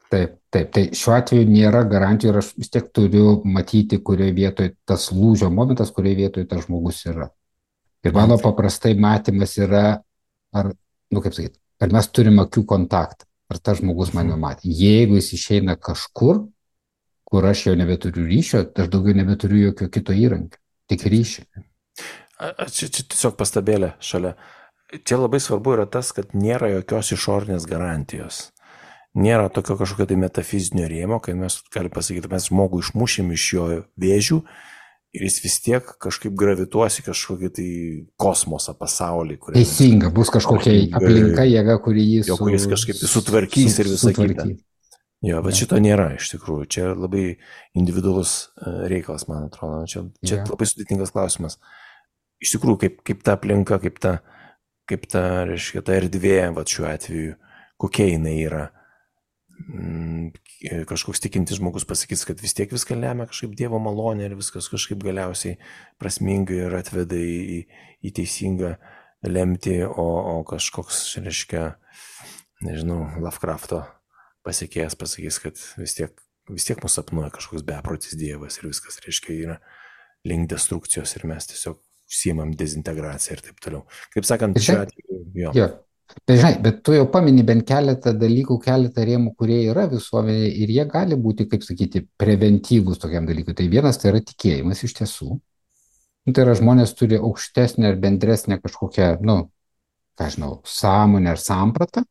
Taip, taip, tai šiuo atveju nėra garantijų ir aš vis tiek turiu matyti, kurioje vietoje tas lūžio momentas, kurioje vietoje tas žmogus yra. Ir mano paprastai matymas yra, ar, nu kaip sakyti, ar mes turime akių kontaktą, ar tas žmogus mane matė. Jeigu jis išeina kažkur, kur aš jau nebeturiu ryšio, aš daugiau nebeturiu jokio kito įrankio, tik ryšio. Čia, čia tiesiog pastabėlė šalia. Čia labai svarbu yra tas, kad nėra jokios išorinės garantijos. Nėra tokio kažkokio tai metafizinio rėmo, kai mes galime pasakyti, mes žmogų išmušėm iš jo vėžių, ir jis vis tiek kažkaip gravituosi kažkokį tai kosmosą, pasaulį. Teisinga, bus kažkokia aplinka, jėga, kuri jį su, kuris kažkaip sutvarkys su, ir visą kitą. Jo, bet ja. Šito nėra iš tikrųjų. Čia labai individualus reikalas, man atrodo. Čia, čia ja. Labai sudėtingas klausimas. Iš tikrųjų, kaip, kaip ta aplinka, kaip ta, kaip ta, reiškia, ta erdvė, va šiuo atveju, kokia jinai yra. Kažkoks tikintis žmogus pasakys, kad vis tiek viską lemia kažkaip Dievo malonė ir viskas kažkaip galiausiai prasmingai ir atveda į, į teisingą lemtį, o, o kažkoks, reiškia, nežinau, Lovecrafto pasiekėjas pasakys, kad vis tiek, vis tiek mūsų sapnuoja kažkoks beprotis Dievas ir viskas, reiškia, yra link destrukcijos ir mes tiesiog užsiimam dezintegraciją ir taip toliau. Kaip sakant, šiuo atveju, jo. jo. Bet, žinai, bet tu jau pamini bent keletą dalykų, keletą rėmų, kurie yra visuomenėje ir jie gali būti, kaip sakyti, preventyvūs tokiam dalykui. Tai vienas tai yra tikėjimas iš tiesų. Tai yra žmonės turi aukštesnę ar bendresnę kažkokią, nu, ką žinau, sąmonę ar sampratą,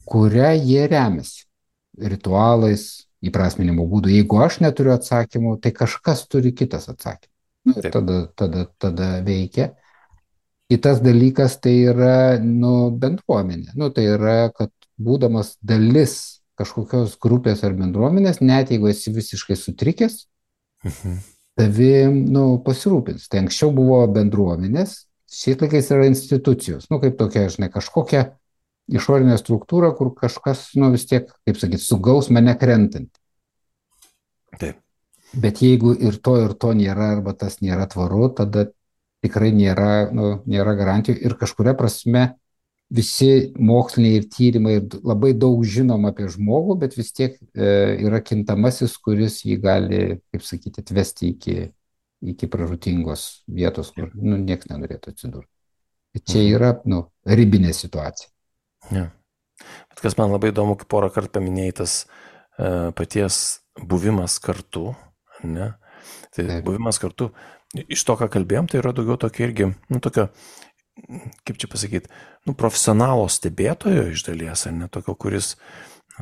kurią jie remiasi ritualais, įprasminimo būdų. Jeigu aš neturiu atsakymų, tai kažkas turi kitas atsakymų. Nu, tada, tada, tada veikia. Kitas dalykas tai yra, nu, bendruomenė. Nu, tai yra, kad būdamas dalis kažkokios grupės ar bendruomenės, net jeigu esi visiškai sutrikęs, mhm. tavim, nu, pasirūpins. Tai anksčiau buvo bendruomenės, šiais laikais yra institucijos. Nu, kaip tokia, žinai, kažkokia išorinė struktūra, kur kažkas, nu, vis tiek, kaip sakyti, sugaus mane krentant. Taip. Bet jeigu ir to, ir to nėra, arba tas nėra tvaru, tada tikrai nėra, nu, nėra garantijų ir kažkuria prasme visi moksliniai ir tyrimai labai daug žinom apie žmogų, bet vis tiek e, yra kintamasis, kuris jį gali, kaip sakyti, atvesti iki, iki pražūtingos vietos, kur nu, niekas nenorėtų atsidurti. Čia yra nu, ribinė situacija. Ja. Bet kas man labai įdomu, kai porą kartų paminėjai tas e, paties buvimas kartu, ne? Tai Taip. Buvimas kartu, iš to, ką kalbėjom, tai yra daugiau tokio irgi, nu, tokio kaip čia pasakyti, nu, profesionalo stebėtojo iš dalies, ar ne tokio, kuris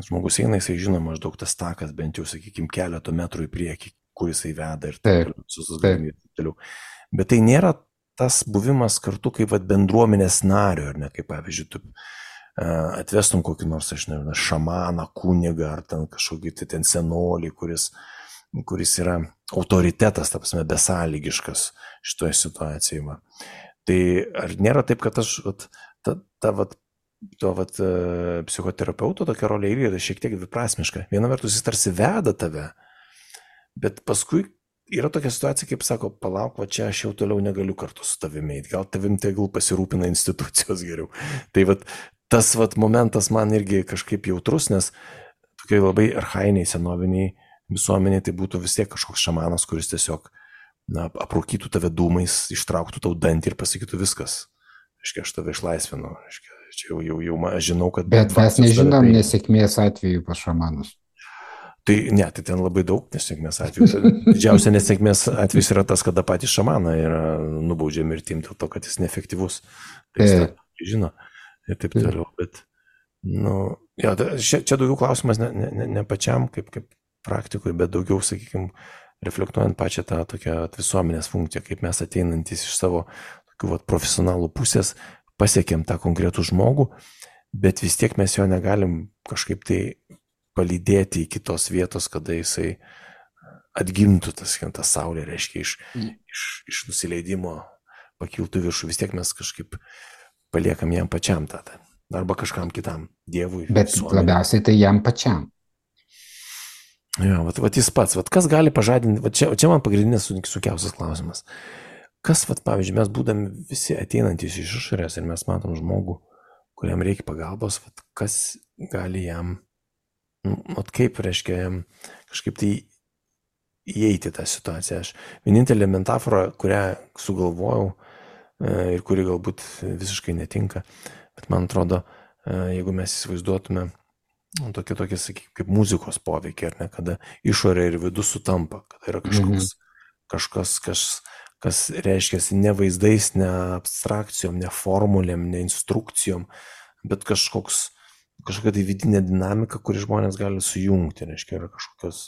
žmogus eina, jisai žino maždaug tas takas, bent jau, sakykime, keletų metrų į priekį, kur jisai veda ir taip toliau. Bet tai nėra tas buvimas kartu kaip vat, bendruomenės nario, ar ne, kaip pavyzdžiui, tu atvestum kokį nors, aš nežinau, šamaną, kunigą, ar ten kažkokį tai ten senolį, kuris, kuris yra autoritetas, ta prasme, besąlygiškas šitoje situacijoje. Tai ar nėra taip, kad aš, vat, ta, ta, vat, to vat, psichoterapeuto tokia rolė yra šiek tiek dviprasmiška. Viena vertus jis tarsi veda tave, bet paskui yra tokia situacija, kaip sako, palauk, va čia aš jau toliau negaliu kartu su tavimi, gal tavim tegul pasirūpina institucijos geriau. Tai vat, tas vat, momentas man irgi kažkaip jautrus, nes tokiai labai archainiai, senoviniai visuomeniai tai būtų vis tiek kažkoks šamanas, kuris tiesiog na, aprūkytų tave dūmais, ištrauktų tau dantį ir pasakytų viskas. Aiškiai, aš tave išlaisvinu. Aiškiai, čia jau, jau, jau aš žinau, kad... Bet mes nežinom tai... nesėkmės atveju pas šamanus. Tai ne, tai ten labai daug nesėkmės atvejų. Didžiausia nesėkmės atvejs yra tas, kada patys šamaną yra nubaudžia mirtim dėl to, kad jis neefektyvus. Tai jis tą žino ir taip toliau. Bet, nu, ja, čia, čia daugiau klausimas ne, ne, ne pačiam kaip, kaip praktikui, bet daugiau, sakykime, reflektuojant pačią tą tokią visuomenės funkciją, kaip mes ateinantis iš savo tokių vat, profesionalų pusės pasiekėm tą konkretų žmogų, bet vis tiek mes jo negalim kažkaip tai palydėti į kitos vietos, kada jisai atgimtų tas, tas saulė, reiškia, iš, iš, iš nusileidimo pakiltų viršų, vis tiek mes kažkaip paliekam jam pačiam tą, arba kažkam kitam, Dievui. Bet visuomenė. Labiausiai tai jam pačiam. Ja, vat, vat jis pats, vat kas gali pažadinti, vat čia, čia man pagrindinės sunkiausias klausimas. Kas, vat, pavyzdžiui, mes būdami visi ateinantys iš išorės ir mes matom žmogų, kuriam reikia pagalbos, vat, kas gali jam, vat kaip reiškia jam kažkaip tai įeiti tą situaciją. Aš vienintelė metafora, kurią sugalvojau ir kuri galbūt visiškai netinka, bet man atrodo, jeigu mes įsivaizduotume tokie, tokie, sakykime, kaip muzikos poveikiai, ar ne, kada išorė ir vidus sutampa, kada yra kažkoks, mm-hmm. kažkas, kas, kas reiškia ne vaizdais, ne abstrakcijom, ne formulėm, ne instrukcijom, bet kažkoks, kažkokia tai vidinė dinamika, kuri žmonės gali sujungti, reiškia, yra kažkokios,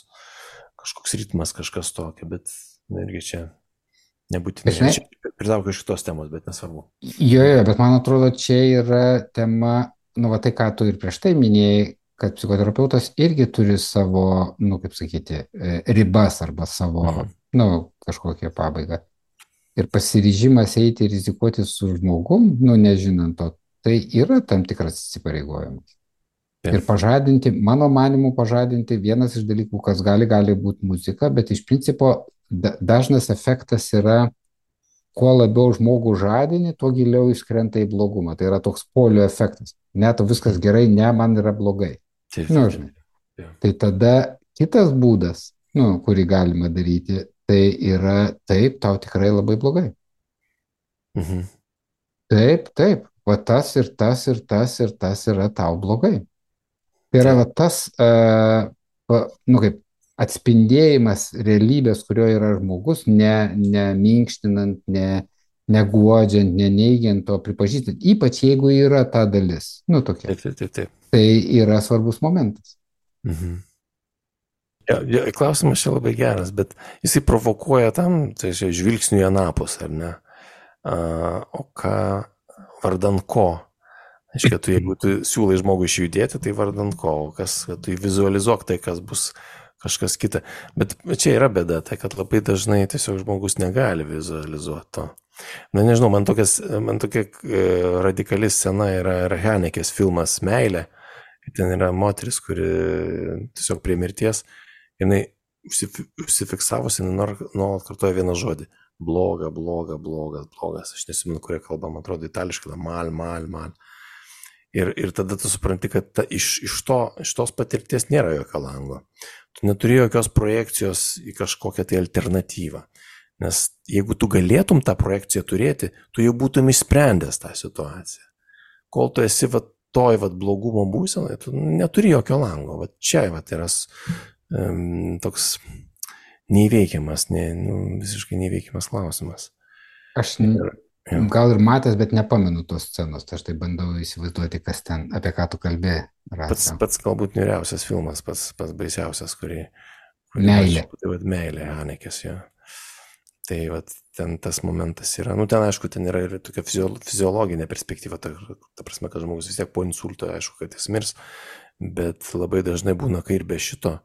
kažkoks ritmas, kažkas tokio, bet irgi čia nebūtinai. Aš pridaukiu iš šitos temos, bet nesvarbu. Jo, jo, bet man atrodo, čia yra tema, nu, va tai, ką tu ir prieš tai minėjai, kad psichoterapeutas irgi turi savo, nu, kaip sakyti, ribas arba savo, mhm. nu, kažkokią pabaigą. Ir pasiryžimas eiti ir rizikuoti su žmogum, nu, nežinant to, tai yra tam tikras įsipareigojimas. Ja. Ir pažadinti, mano manimu, pažadinti vienas iš dalykų, kas gali, gali būti muzika, bet iš principo da, dažnas efektas yra, kuo labiau žmogų žadini, tuo giliau iškrenta į blogumą. Tai yra toks polio efektas. Ne, tu viskas gerai, ne, man yra blogai. Taip, nu, žinai. Ja. Tai tada kitas būdas, nu, kurį galima daryti, tai yra taip, tau tikrai labai blogai. Mhm. Taip, taip, va tas ir tas ir tas ir tas yra tau blogai. Tai yra va tas, uh, nu kaip, atspindėjimas realybės, kurio yra žmogus, ne, ne minkštinant, ne, neguodžiant, neneigiant, o pripažįstant, ypač jeigu yra ta dalis. Nu, tokia. Taip, taip, taip, taip. Tai yra svarbus momentas. Mhm. Ja, ja, klausimas čia labai geras, bet jisai provokuoja tam, tai žvilgsnių į anapus, ar ne? A, o ką, vardan ko? Aiškia, tu, jeigu tu siūlai žmogui išjudėti, tai vardan ko? O kas, tu vizualizuok tai, kas bus kažkas kita. Bet čia yra bėda, tai kad labai dažnai tiesiog žmogus negali vizualizuoti to. Na nežinau, man, tokias, man tokia e, radikali scena yra Hanekės filmas Meilė. Ten yra moteris, kuri tiesiog prie mirties, jinai užsifiksavusi, nuolat kartoja vieną žodį. Bloga, bloga, blogas, blogas. Aš nesimenu, kurie kalba, man atrodo, itališkai, mal, mal, mal. Ir, ir tada tu supranti, kad ta, iš, iš, to, iš tos patirties nėra jokio lango. Tu neturi jokios projekcijos į kažkokią tai alternatyvą. Nes jeigu tu galėtum tą projekciją turėti, tu jau būtum išsprendęs tą situaciją. Kol tu esi va, toj va, blogumo būsenai, tu neturi jokio lango. Va, čia va, yra um, toks neįveikiamas, ne, nu, visiškai neįveikiamas klausimas. Aš, gal ir matęs, bet nepamenu tos scenos, tai aš tai bandau įsivaizduoti, kas ten, apie ką tu kalbėjai. Pats, pats galbūt niuriausias filmas, pats, pats baisiausias, kurį... kurį Meilė. Aš, tai vad meilė, Hanekės, jo. Tai vat, ten tas momentas yra, nu ten aišku, ten yra ir tokia fiziologinė perspektyva, ta, ta prasme, kad žmogus vis tiek po insulto, aišku, kad jis mirs, bet labai dažnai būna, kai ir be šito,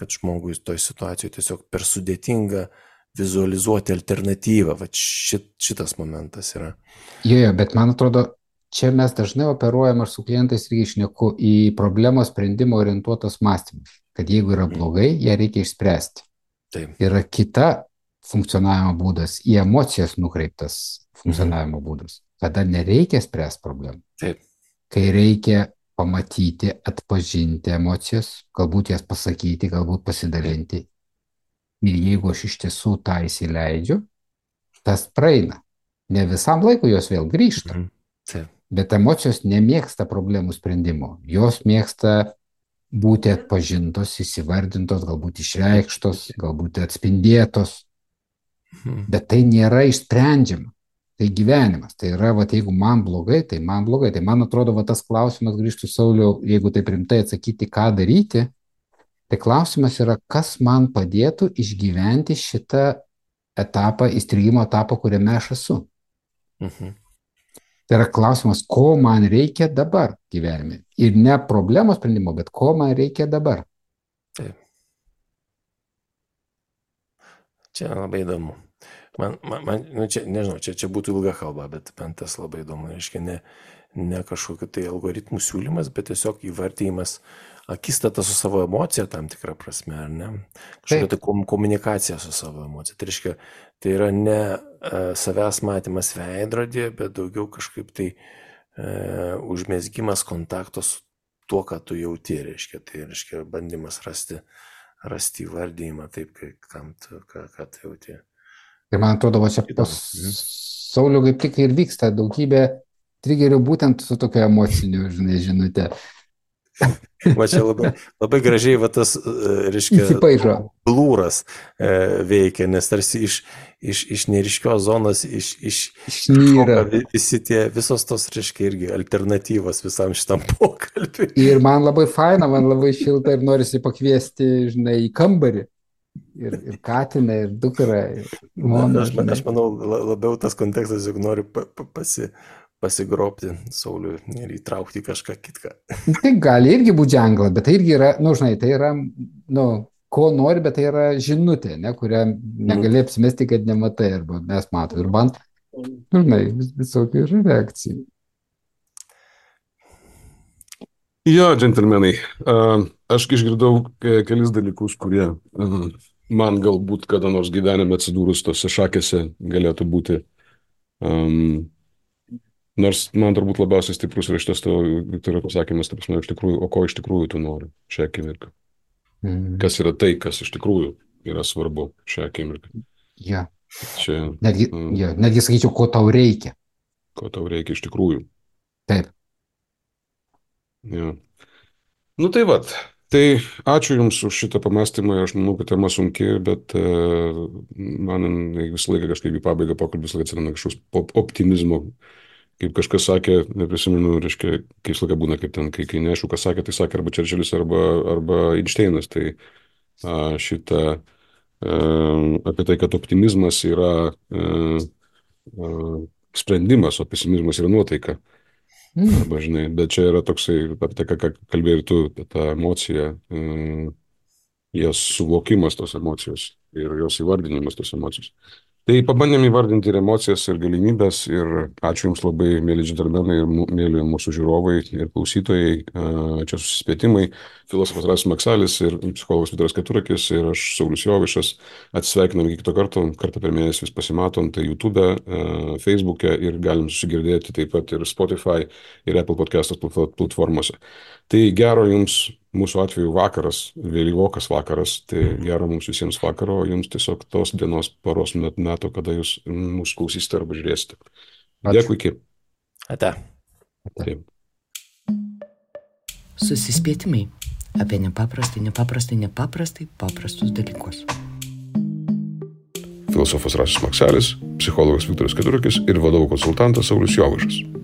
kad žmogui toj situacijoje tiesiog per sudėtinga vizualizuoti alternatyvą, va šit, šitas momentas yra. Jo, jo, bet man atrodo, čia mes dažnai operuojam, aš su klientais irgi šneku į problemos sprendimo orientuotos mąstymus, kad jeigu yra blogai, ją reikia išspręsti. Taip. Yra kita funkcionavimo būdas, į emocijas nukreiptas funkcionavimo mhm. būdas. Tada nereikia spręsti problemų. Taip. Kai reikia pamatyti, atpažinti emocijas, galbūt jas pasakyti, galbūt pasidalinti. Ir jeigu aš iš tiesų tą įsileidžiu, tas praeina. Ne visam laikui jos vėl grįžta. Mhm. Taip. Bet emocijos nemėgsta problemų sprendimo. Jos mėgsta būti atpažintos, įsivardintos, galbūt išreikštos, galbūt atspindėtos. Bet tai nėra išsprendžiama. Tai gyvenimas. Tai yra, va, jeigu man blogai, tai man blogai. Tai man atrodo, va, tas klausimas grįžtų, Sauliau, jeigu taip rimtai atsakyti, ką daryti, tai klausimas yra, kas man padėtų išgyventi šitą etapą, įstrigimo etapą, kuriame aš esu. Mhm. Tai yra klausimas, ko man reikia dabar gyvenime. Ir ne problemos sprendimo, bet ko man reikia dabar. Taip. Čia labai įdomu. Man, man, man nu čia, nežinau, čia, čia būtų ilga kalba, bet man tas labai įdomu. Reiškia, ne, ne kažkokiu tai algoritmų siūlymas, bet tiesiog įvartymas, akistata su savo emocija tam tikrą prasme, ar ne? Kažkokia tai komunikacija su savo emocija. Tai reiškia, tai yra ne uh, savęs matymas veidrodėje, bet daugiau kažkaip tai uh, užmezgimas kontakto su tuo, ką tu jauti, reiškia. Tai reiškia bandymas rasti rasti įvardėjimą taip, kai, kam tu, ką, ką tu jauti. Ir man atrodo, va čia pas Sauliau kaip tik ir vyksta daugybė trigerių būtent su tokio emociniu, žinai, žinute. Va čia labai, labai gražiai va tas, reiškia, blūras e, veikia, nes tarsi iš, iš, iš neryškios zonos iš, iš, išnyra visi tie, visos tos, reiškia, irgi alternatyvos visam šitam pokalbiui. Ir man labai faina, man labai šilta ir norisi pakviesti, žinai, į kambarį. Ir, ir katiną, ir dukrą. Ir moną, aš, aš manau, labiau tas kontekstas, juk nori pa, pa, pasi... pasigropti Sauliui ir įtraukti kažką kitką. Tai gali irgi būti ženklas, bet tai irgi yra, nu, žinai, tai yra, nu, ko nori, bet tai yra žinutė, ne, kurią negali apsimesti, kad nematai, arba mes matom. Ir man, nu, žinai, vis, visokių yra reakcijų. Jo, džentelmenai, aš išgirdau kelis dalykus, kurie man galbūt kada nors gyvenime atsidūrus tose šakėse galėtų būti um, nors man turbūt labiausiai stiprus yra šitas tavo Viktoro pasakymas, taip prasme, iš tikrųjų, o ko iš tikrųjų tu nori šią akimirką? Mm. Kas yra tai, kas iš tikrųjų yra svarbu šią akimirką? Ja. Čia, netgi, mm, ja, netgi sakyčiau, ko tau reikia. Ko tau reikia iš tikrųjų. Taip. Ja. Nu tai vat, tai ačiū Jums už šitą pamastymą, aš manau, kad tema sunki, bet uh, man visą laiką kažkaip į pabaigą pokalbis atsiranda kažkoks optimizmo. Kaip kažkas sakė, neprisimenu, reiškia, kai visą laiką būna, kaip ten, kai, kai neaišku, kas sakė, tai sakė arba Čerčilis, arba, arba Einšteinas. Tai a, šitą a, apie tai, kad optimizmas yra a, a, sprendimas, o pesimizmas yra nuotaika. Mm. Arba, žinai, bet čia yra toksai, apie tai, ką kalbėjai ir tu, ta emocija, a, jos suvokimas tos emocijos ir jos įvardinimas tos emocijos. Tai pabandėm įvardinti ir emocijas, ir galimybės, ir ačiū Jums labai, mėly džentelmenai, ir mėly mūsų žiūrovai ir klausytojai. Čia Susispėtimai, filosofas Rasius Maksalis ir psichologas Vytaras Keturakis ir aš, Saulius Jovaišas. Atsisveikinam iki kito karto, kartą per mėnesį vis pasimatom, tai YouTube, Facebook'e ir galim susigirdėti taip pat ir Spotify ir Apple podcastos platformose. Tai gero Jums, mūsų atveju vakaras, vėlyvokas vakaras, tai gero mums visiems vakaro, o Jums tiesiog tos dienos paros metų, kada Jūs mūsų klausysite arba žiūrėsite. Dėkui, iki. Ate. Taip. Susispėtimai apie nepaprastai, nepaprastai, nepaprastai paprastus dalykus. filosofas Rasis Makselis, psichologas Viktoras Keturukis ir vadovų konsultantas Saulius Jovaišas.